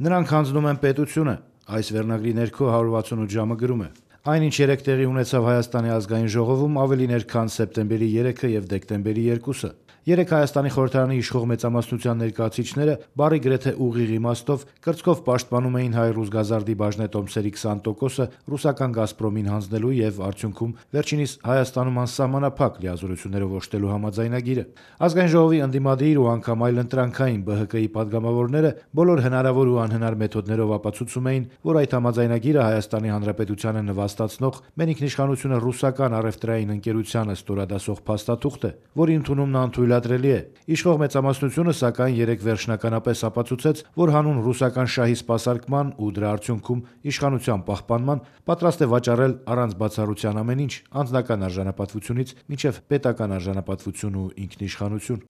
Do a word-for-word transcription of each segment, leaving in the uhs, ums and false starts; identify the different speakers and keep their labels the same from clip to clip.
Speaker 1: Նրանք հանձնում են պետությունը, այս վերնագրի ներքո one sixty-eight ժամը գրում է. Այն, ինչ երեկ տեղի ունեցավ Հայաստանի ազգային ժողովում, ավելին էր, քան սեպտեմբերի երեքը եւ դեկտեմբերի երկուսը։ Երեկ Հայաստանի խորհրդարանի իշխող մեծամասնության ներկայացուցիչները բարի գրեթե ուղիղ իմաստով կրծքով պաշտպանում էին հայ-ռուս գազարդի բաժնետոմսերի twenty տոկոսը ռուսական «Գազպրոմին» հանձնելու եւ արդյունքում վերջինիս Հայաստանում անսահմանափակ լիազորություններով օժտելու համաձայնագիրը։ Ազգային ժողովի ընդդիմադիր ու անգամ այլընտրանքային B H K-ի падգամավորները բոլոր հնարավոր ու անհնար մեթոդներով ապացուցում էին, որ այդ համաձայնագիրը Հայաստանի Հանրապետությանը նվաստացնող մեր ինքնիշխանությունը ռուսական առևտրային ընկերությանը ստորադասող փաստաթուղթ է, որի ընդունումն անթույլատրելի է։ Իշխող մեծամասնությունը սակայն երեկ վերջնականապես ապացուցեց, որ հանուն ռուսական շահի սպասարկման ու դրա արդյունքում իշխանության պահպանման պատրաստ է վաճառել առանց բացառության ամեն ինչ, անձնական արժանապատվությունից մինչև պետական արժանապատվություն ու ինքնիշխանություն։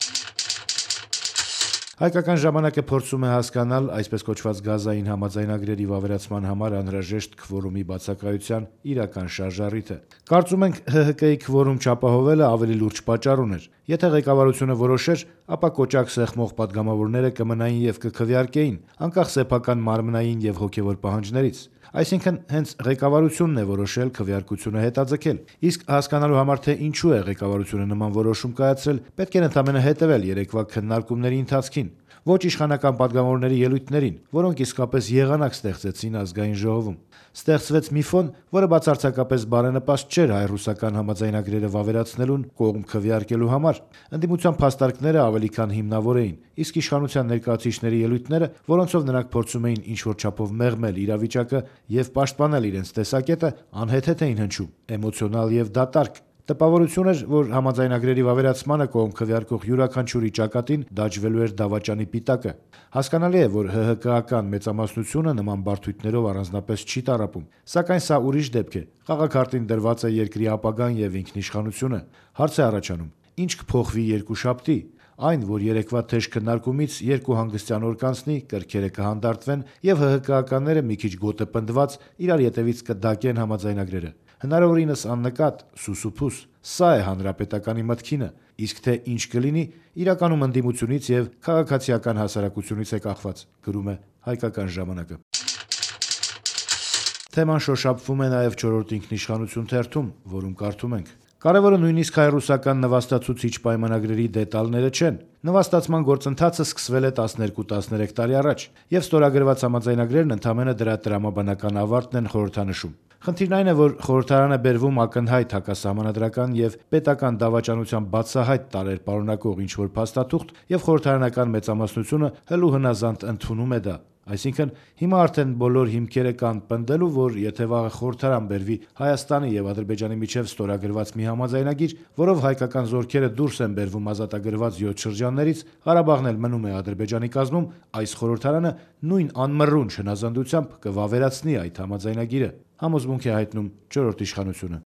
Speaker 1: Հայկական ժամանակը փորձում է հասկանալ այսպես կոչված գազային համաձայնագրերի վավերացման համար անհրաժեշտ քվորումի բացակայության իրական շարժառիթը։ Կարծում ենք H H K-ի քվորում չապահովելը ավելի լուրջ պատճառ ուներ։ Եթե ղեկավարությունը որոշեր, ապա կոճակ սեղմող падգամավորները կմնային եւ կքվեարկեին, անկախ սեփական մարմնային եւ հոգեվոր պահանջներից։ Այսինքն հենց ղեկավարությունն է որոշել քվեարկությունը հետաձգել։ Իսկ հասկանալու համար թե ինչու է ղեկավարությունը նման որոշում կայացրել, պետք է ընդամենը հետևել երեկվա քննարկումների ընթացքին, ոչ իշխանական падգամավորների ելույթներին, որոնք իսկապես եղանակ ստեղծեցին ազգային ժողովում։ Ստեղծվեց մի ֆոն, որը բացարձակապես բարենպաստ չէր հայ-ռուսական համաձայնագրերը վավերացնելուն կողմ քվեարկելու համար։ Ընդդիմության փաստարկները ավելի քան հիմնավոր էին, իսկ իշխանության ներկայացուցիչների ելույթները, որոնցով նրանք փորձում էին ինչ-որ չափով մեղմել իրավիճակը եւ պաշտպանել իրենց տեսակետը, անհեթեթ էին հնչում, էմոցիոնալ եւ դատարկ։ Տպավորություն էր, որ համաձայնագրերի վավերացմանը կողմ քվեարկող յուրաքանչյուրի ճակատին դաջվելու էր դավաճանի պիտակը։ Հասկանալի է, որ H H K-ական մեծամասնությունը նման բարդույթներով առանձնապես չի տառապում, սակայն սա ուրիշ դեպք է։ Խաղաքարտին դրված է երկրի ապագան եւ ինքնիշխանությունը։ Հարց է առաջանում. ինչ կփոխվի երկուշաբթի։ Այն, որ երեկվա թեժ քննարկումից երկու հանգստյան օր կանցնի, կրքերը կհանդարտվեն եւ H H K-ականները մի քիչ գոտը պնդված իրար ետևից կդակեն համաձայնագրերը։ Հնարավորինս աննկատ, սուսուփուս։ Սա է հանրապետականի մտքինը, իսկ թե ինչ կլինի, իրականում ընդդիմությունից եւ քաղաքացիական հասարակությունից է կախված, գրում է Հայկական ժամանակը։ Թեման շոշափվում է նաեւ չորրորդ ինքնիշխանություն թերթում, որում կարդում ենք. Կարևորը նույնիսկ հայ-ռուսական նվաստացուցիչ պայմանագրերի դետալները չեն։ Նվաստացման գործընթացը սկսվել է twelve thirteen տարի առաջ, եւ ստորագրված համաձայնագրերն ընդամենը դրա տրամաբանական ավարտն են խորհրդանշում։ Խնդիրն այն է, որ խորհրդարանը բերվում ակնհայտ հակասահմանադրական եւ պետական դավաճանության բացահայտ տարեր պարունակող ինչ-որ փաստաթուղթ եւ խորհրդարանական մեծամասնությունը հլու հնազանդ ընդունում է դա։ Այսինքն հիմա արդեն բոլոր հիմքերը կան պնդելու, որ եթե վաղը խորհրդարան բերվի Հայաստանի եւ Ադրբեջանի միջև ստորագրված մի համաձայնագիր, որով հայկական զորքերը դուրս են բերվում ազատագրված յոթ շրջաններից, Ղարաբաղն էլ մնում է Ադրբեջանի կազմում, այս խորհրդարանը նույն անմռունչ հնազանդությամբ կվավերացնի այդ համաձայնագիրը, համոզմունք է հայտնում չորրորդ իշխանությունը։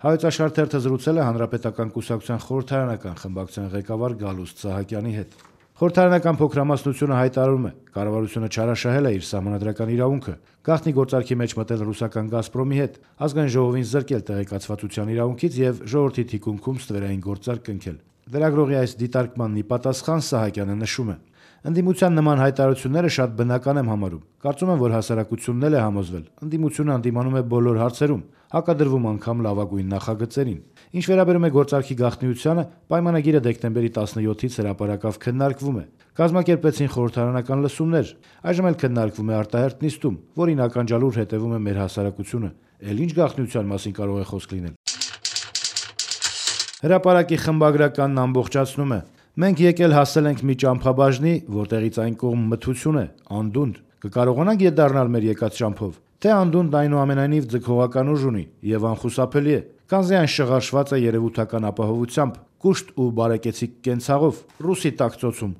Speaker 1: Հայոց Աշխարհ թերթը զրուցել է Հանրապետական կուսակցության խորհրդարանական խմբակցության ղեկավար Գալուստ Սահակյանի հետ։ Խորհրդարանական փոքրամասնությունը հայտարարում է. կառավարությունը չարաշահել է իր սահմանադրական իրավունքը, գաղտնի գործարքի մեջ մտել ռուսական «Գազպրոմի» հետ, ազգային ժողովին զրկել տեղեկացվածության իրավունքից եւ ժողովրդի թիկունքում ստվերային գործարք կնքել։ Լրագրողի այս դիտարկմանն ի պատասխան Սահակյանը նշում է. Ընդդիմության նման հայտարարությունները շատ բնական եմ համարում։ Կարծում եմ, որ հասարակությունն էլ է համոզվել։ Ընդդիմությունը հանդիմանում է բոլոր հարցերում, հակադրվում անգամ լավագույն նախագծերին։ Ինչ վերաբերում է գործարքի գաղտնիությանը, պայմանագիրը դեկտեմբերի տասնյոթից հրապարակավ քննարկվում է։ Կազմակերպվեցին խորհրդարանական լսումներ, այժմ էլ քննարկվում է արտահերթ նիստում, որին ականջալուր հետևում է մեր հասարակությունը։ Էլ ինչ գաղտնիության մասին կարող է խոսք լինել։ Հրապարակի խմբագրականն ամբողջացնում է. Մենք եկել հասել ենք մի ճամփաբաժնի, որտեղից այն կողմ մթություն է, անդունդ։ Կկարողանանք ետ դառնալ մեր եկած ճամփով։ Թե անդունդն այնուամենայնիվ ձգողական ուժ ունի եւ անխուսափելի է, քանզի այն շղարշված է երևութական ապահովությամբ, կուշտ ու բարեկեցիկ կենցաղով, ռուսի տակ ծոցում։